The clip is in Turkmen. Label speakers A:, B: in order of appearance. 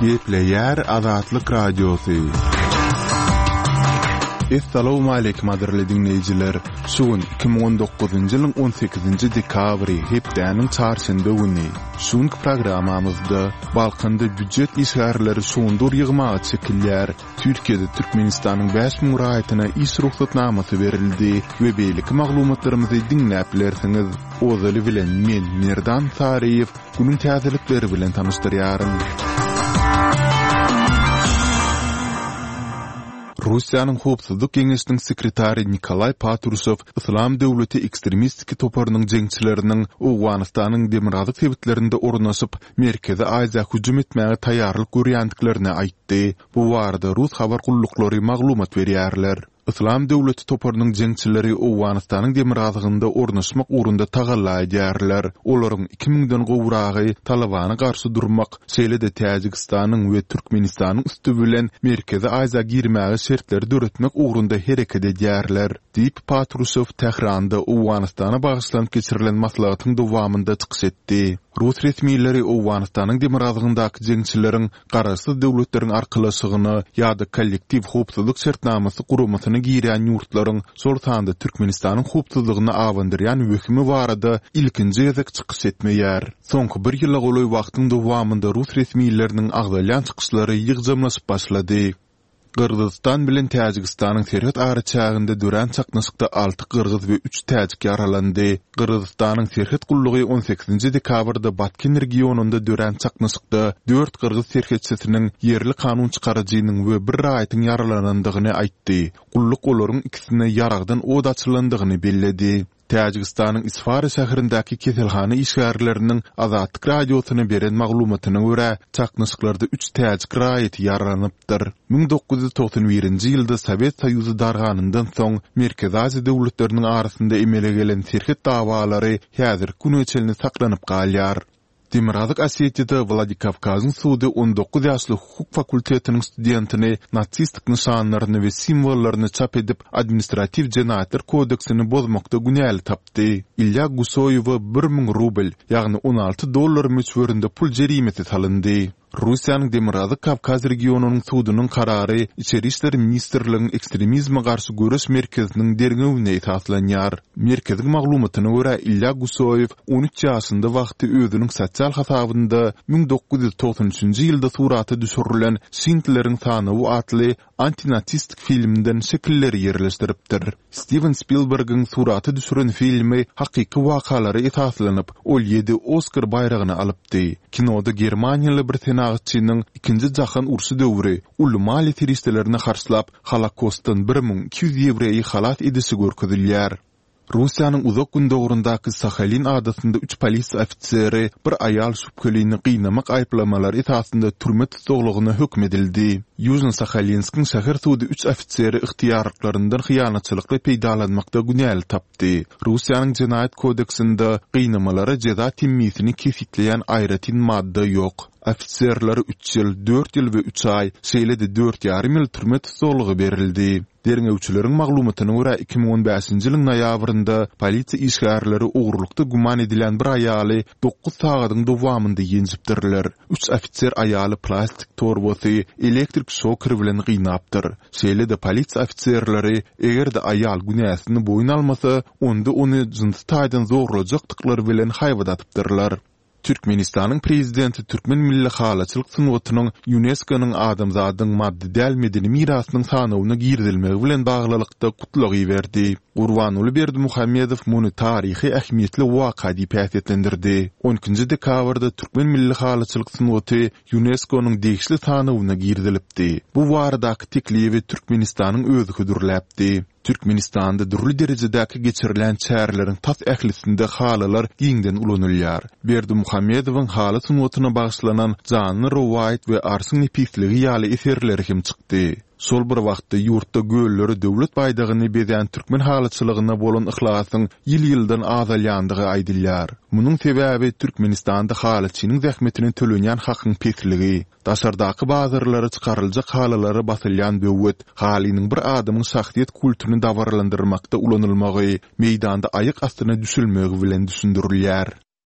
A: Gepleýär Azatlyk Radiosy. Essalawmaleýkim gadyrly diňleýjiler! Şu gün 2019-njy ýylyň 18-nji dekabry, hepdäniň çarşenbe güni. Şu günki programmamyzda Balkanda býujet işgärleri şugundyr ýygmaga çekilýär. Türkiýede Türkmenistanyň 5000 raýatyna iş rugsatnamasy berildi we beýleki maglumatlarymyzy diňläp bilersiňiz. Ozaly bilen men, Merdan Saryýew, günüň täzelikleri bilen tanyşdyrýaryn. Russiýanyň Howpsuzlyk geňeşiniň sekretary Nikolaý Patruşew Yslam döwleti ekstremistiki toparynyň jeňçileriniň Owganystanyň demirgazyk sebitlerinde ornaşyp, Merkezi Aziýa hüjüm etmäge taýýarlyk görýändiklerini aýtdy. Bu barada rus habar gulluklary maglumat berýärler. Yslam döwleti toparynyň jeňçileri Owganystanyň demirgazygynda ornaşmak ugrunda tagalla edýärler. Olaryň iki müňden gowragy Talybana garşy durmak, şeýle-de Täjigistanyň we Türkmenistanyň üsti bilen Merkezi Aziýa girmäge şertleri döretmek ugrunda hereket edýärler, diýip, Patruşew Tähranda Owganystana bagyşlanyp geçirilen maslahatyň dowamynda çykyş etdi. Rus resmileri Owganystanyň demirgazygyndaky jeňçileriň Garaşsyz Döwletleriň Arkalaşygyna ýa-da Kollektiw howpsuzlyk şertnamasy guramasyna girýän ýurtlaryň, şol sanda Türkmenistanyň howpsuzlygyna abandyrýan wehimi barada ilkinji gezek çykyş etmeýär. Soňky bir ýyla golaý wagtyň dowamynda rus resmileriniň agzalýan çykyşlary ýygjamlaşyp başlady. Gyrgyzystan bilen Täjigistanyň serhet araçäginde dörän çaknyşykda alty gyrgyz we üç täjik ýaralandy. Gyrgyzystanyň serhet gullugy on sekizinji dekabrda Batken regionynda dörän çaknyşykda dört gyrgyz serhetçisiniň, ýerli kanun çykaryjynyň we bir raýatyň ýaralanandygyny aýtdy. Gulluk olaryň ikisine ýaragdan od açylandygyny belledi. Täjigistanyň Isfara şäherindäki keselhana işgärleriniň Azatlyk Radiosyna beren maglumatyna görä, çaknyşyklarda üç täjik raýaty ýaralanypdyr. 1991-nji ýylda Sowet Soýuzy darganyndan soň Merkezi Aziýa döwletleriniň arasynda emele gelen serhet dawalary häzirki güne çenli saklanyp galýar. Demirgazyk Osetiýada Wladikawkazyň sudy 19 ýaşly hukuk fakultetiniň studentini nasistik nyşanlaryny we simwollaryny çap edip, administratiw jenaýatlar kodeksini bozmakda günäli tapdy. Ilýa Gusoýewe 1000 rubl, ýagny 16 dollar möçberinde pul jerimesi salyndy. Russiýanyň Demirgazyk Kawkaz regionynyň sudunyň karary Içeri işler ministrligiň Ekstremizme garşy göreş merkeziniň derňewine esaslanýar. Merkeziň maglumatyna görä, Ilýa Gusoýew 13 ýaşynda wagty özüniň sosial hasabynda 1993-nji ýylda surata düşürilen Şindleriň sanawy atly antinasistik filmden şekilleri ýerleşdiripdir. Stiwen Spilbergiň surata düşüren filmi hakyky wakalara esaslanyp, ol ýedi Oskar baýragyny alypdy. Kinoda germaniýaly bir senagatçynyň Ikinji jahan urşy döwri uly maliýe serişdelerini harçlap, Holokostdan 1200 ýewreýi halas edişi görkezilýär. Russiýanyň Uzak Gündogaryndaky Sahalin adasynda üç polisiýa ofiseri bir aýal şübhelini gynamak aýyplamalary esasynda türme tussaglygyna höküm edildi. Ýužno-Sahalinskiň şäher sudy üç ofiseri ygtyýarlyklaryndan hyýanatçylykly peýdalanmakda günäli tapdy. Russiýanyň Jenaýat kodeksinde gynamalara jeza temmisini kesgitleýän aýratyn madda ýok. Ofiserlere üç ýyl, dört ýyl we üç aý, şeýle-de dört ýarym ýyl türme tussaglygy berildi. Derňewçileriň maglumatyna görä, 2015-nji ýylyň noýabrynda polisiýa işgärleri ogurlykda güman edilýän bir aýaly dokuz sagadyň dowamynda ýenjipdirler. Üç ofiser aýaly plastik torbasy, elektrik şoker bilen gynapdyr. Şeýle-de polisiýa ofiserleri, eger-de aýal günäsini boýun almasa, onda ony jynsy taýdan zorlajakdyklary bilen haýbat atypdyrlar. Türkmenistanyň Prezidenti türkmen milli halyçylyk sungatynyň ÝUNESKO-nyň Adamzadyň maddy däl medeni mirasynyň sanawyna girizilmegi bilen baglylykda gutlag iberdi. Gurbanguly Berdimuhamedow muny taryhy ähmiýetli waka diýip häsiýetlendirdi. On ikinji dekabrda türkmen milli halyçylyk sungaty ÝUNESKO-nyň degişli sanawyna girizilipdi. Bu baradaky teklibi Türkmenistanyň özi hödürläpdi. Türkmenistanda dürli derejedäki geçirilýän çäreleriň tas ählisinde halylar giňden ulanylýar. Berdimuhamedowyň haly sungatyna bagyşlanan Janly rowaýat we Arşyň nepisligi ýaly eserleri hem çykdy. Şol bir wagtda ýurtda göllere döwlet baýdagyny bezän türkmen halyçylygyna bolan yhlasyň ýyl-ýyldan azalýandygy aýdylýar. Munuň sebäbi Türkmenistanda halyçynyň zähmetine tölenýän hakyň pesligi. Daşardaky bazarlara çykaryljak halylara basylýan böwet, halynyň bir adamyň şahsyýet kultuny dabaralandyrmakda ulanylmagy, meýdanda aýak astyna düşülmegi bilen düşündirilýär.